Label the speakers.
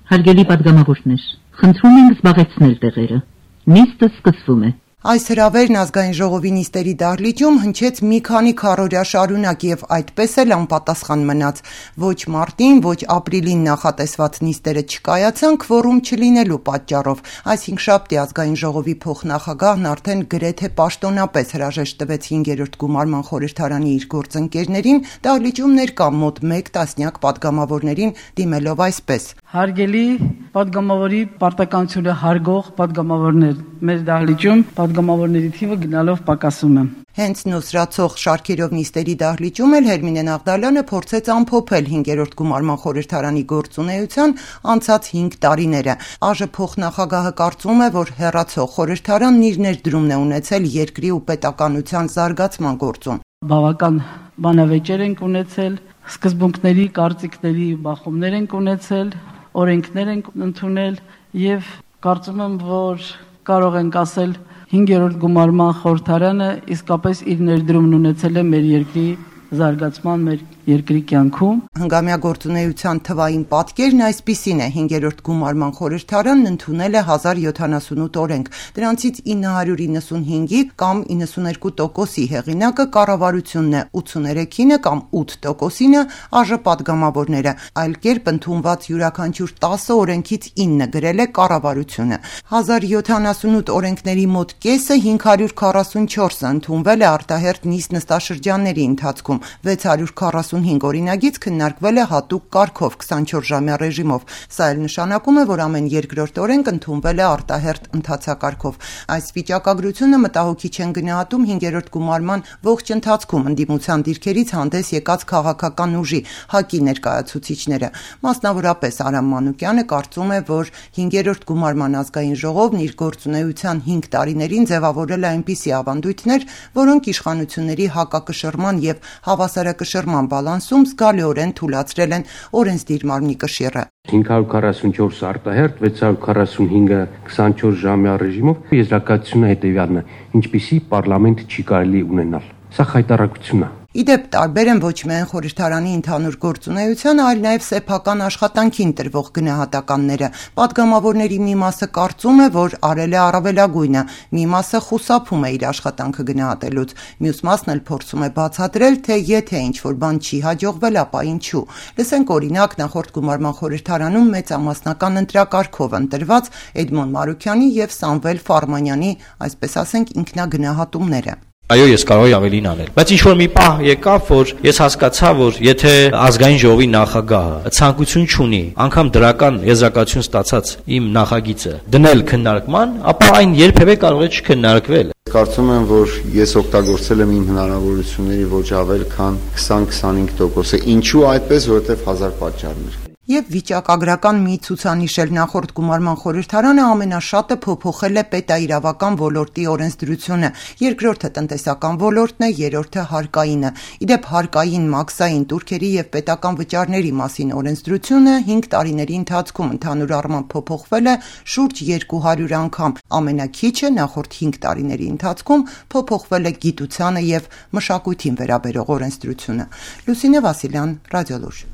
Speaker 1: Հարգելի պատգամավորներ, խնդրում ենք զբաղեցնել տեղերը։ Նիստը սկսվում է։
Speaker 2: Այս հրավերն ազգային ժողովի նիստերի դահլիճում հնչեց մի քանի քառօրյա շարունակ եւ այդպես էլ անպատասխան մնաց։ Ոչ մարտին, ոչ ապրիլին նախատեսված նիստերը չկայացան քվորում չլինելու պատճառով։ Այս հինգշաբթի ազգային ժողովի փոխնախագահն արդեն գրեթե պաշտոնապես հրաժեշտ տվեց 5-րդ գումարման խորհրդարանի իր գործընկերներին, դահլիճում ներկա մոտ 1 տասնյակ պատգամավորներին դիմելով այսպես.
Speaker 3: Հարգելի պատգամավորի պարտականությունը հարգող պատգամավորներ, մեր դահլիճում պատգամավորների թիվը գնալով պակասում է։
Speaker 2: Հենց նոսրացող շարքերով նիստերի դահլիճում էլ Հերմինե Նաղդալյանը փորձեց ամփոփել 5-րդ գումարման խորհրդարանի գործունեության անցած 5 տարիները։ ԱԺ փոխնախագահը կարծում է, որ հեռացող խորհրդարանն իր ներդրումն է ունեցել երկրի ու պետականության զարգացման գործում։
Speaker 3: Բավական բանավեճեր ենք ունեցել, սկզբունքների, կարծիքների բախումներ ենք ունեցել, օրենքներ ենք ընդունել եւ կարծում եմ, որ կարող ենք ասել 5-րդ գումարման խորհրդարանը իսկապես իր ներդրումն ունեցել է մեր երկրի զարգացման, մեր երկրի կյանքում։
Speaker 2: Հնգամյա գործունեության թվային պատկերն այսպիսին է. 5-րդ գումարման խորհրդարանն ընդունել է 1078 օրենք, դրանցից 995-ի կամ 92%-ի հեղինակը կառավարությունն է, 83-ը կամ 8%-ը ԱԺ պատգամավորները, այլ կերպ ընդունված յուրաքանչյուր 10 օրենքից 9 գրել է կառավարությունը։ 1078 օրենքների մոտ կեսը 544-ը ընդունվել է արտահերթ նիստ նստաշրջանների ընթացքում, 645 օրինագիծ քննարկվել է հատուկ կարգով 24-ժամյա ռեժիմով։ Սա էլ նշանակում է, որ ամեն երկրորդ օրենք ընդունվել է արտահերթ ընթացակարգով։ Այս վիճակագրությունը մտահոգիչ են գնահատում 5-րդ գումարման ողջ ընթացքում ընդդիմության դիրքերից հանդես եկած քաղաքական ուժի ՀԱԿ-ի ներկայացուցիչները։ Մասնավորապես Արամ Մանուկյանը կարծում է, որ 5-րդ գումարման ազգային ժողովն իր գործունեության 5 տարիներին ձևավորել է այնպիսի ավանդույթներ, որոնք իշխանությունների հակակշռման եւ հավասարակշռման բալանսում զգալիորեն թուլացրել են օրենսդիր մարմնի կշիռը։
Speaker 4: 544 արտահերթ, 645-ը 24-ժամյա ռեժիմով եզրակացությունը հետևյալն է. ինչպիսի պարլամենտ չի կարելի ունենալ։ Սա խայտառակություն է։
Speaker 2: Իդեպ տարբեր են ոչ միայն խորհրդարանի ընդհանուր գործունեությանը, այլ նաև սեփական աշխատանքին տրվող գնահատականները։ Պատգամավորների մի մասը կարծում է, որ արել է առավելագույնը, մի մասը խուսափում է իր աշխատանքը գնահատելուց, մյուս մասն էլ փորձում է բացատրել, թե եթե ինչ-որ բան չի հաջողվել, ապա ինչու։ Լսենք օրինակ նախորդ գումարման խորհրդարանում մեծամասնական ընտրակարգով ընտրված Էդմոն Մարուքյանի եւ Սամվել Ֆարմանյանի, այսպես ասենք, ինքնագնահատումները։
Speaker 5: Այո, ես կարող եմ ավելին անել, բայց ինչ որ մի պահ եկավ, որ ես հասկացա, որ եթե ազգային ժողովի նախագահը ցանկություն չունի, անգամ դրական եզրակացություն ստացած իմ նախագիծը դնել քննարկման, ապա այն երբևէ կարող է չքննարկվել։
Speaker 6: Կարծում եմ, որ ես օգտագործել եմ իմ հնարավորությունների ոչ ավել քան 20-25%-ը։ Ինչու այդպես, որովհետև 1000 պատճառներ։
Speaker 2: Եվ վիճակագրական մի ցուցանիշ էլ նախորդ գումարման խորհրդարանը ամենաշատը փոփոխել է պետաիրավական ոլորտի օրենսդրությունը, երկրորդը տնտեսական ոլորտն է, երրորդը հարկայինը։ Իդեպ հարկային, մաքսային, տուրքերի եւ պետական վճարների մասին օրենսդրությունը 5 տարիների ընթացքում ընդհանուր առմամբ փոփոխվել է շուրջ 200 անգամ, ամենաքիչը նախորդ 5 տարիների ընթացքում փոփոխվել է գիտությանը եւ մշակույթին վերաբերող օրենսդրությունը։ Լուսինե Վասիլյան, Ռադիոլուր։